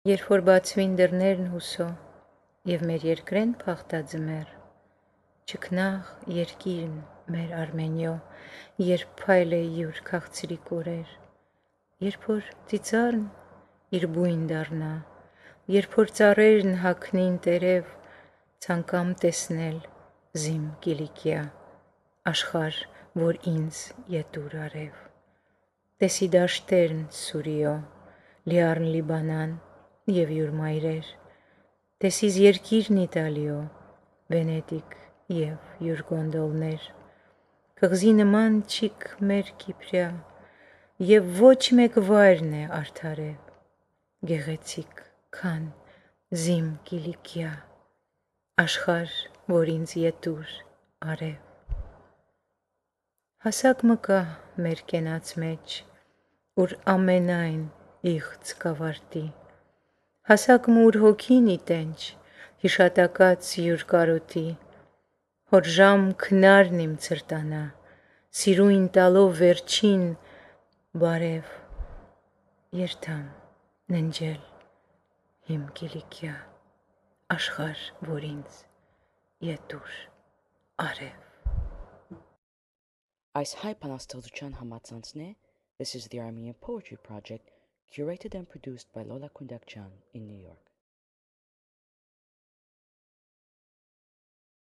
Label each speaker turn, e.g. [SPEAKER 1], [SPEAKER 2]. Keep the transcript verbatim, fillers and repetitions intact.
[SPEAKER 1] Երբ որ բացվին դռներն հուսո եւ մեր երկրեն փախտաձմեր, չքնաղ երկիրն մեր Արմենիո, երբ փայլ է յուր քաղցրիկ օրեր, երբ որ ծիծառն իր բույն դառնա, երբ որ ծառերն հագնին տերև, ցանկամ տեսնել զիմ Կիլիկիա, աշխարհ, որ ինձ ետուր արև, տեսի դաշտերն Սուրիո, լիառն Լիբանան եւ յուր մայրեր, տեսիս երկիրն Իտալիո, Վենետիկ եւ յուր գոնդոլներ, կղզի նման չիք մեր Կիպրիա, եւ ոչ մեկ վայրն է արդարև, գեղեցիկ, քան զիմ Կիլիկիա, աշխարհ, որ ինձ ետուր արև։ Հասակ մը կա մեր կենաց մեջ, ուր ամենայն իղծ կավարտի, հասակ մը ուր հոգին իտենչ, հիշատակած յուր կարոտի, հոր ժամ քնարն իմ ցրտանա, սիրույն տալով վերջին բարև, երթամ ննջել իմ Կիլիկիա, աշխարհ, որ ինձ ետուր արև։
[SPEAKER 2] Այս հայ բանաստեղծության համացանցն է This is the Armenian Poetry Project, curated and produced by Lola Kundakjan in New York.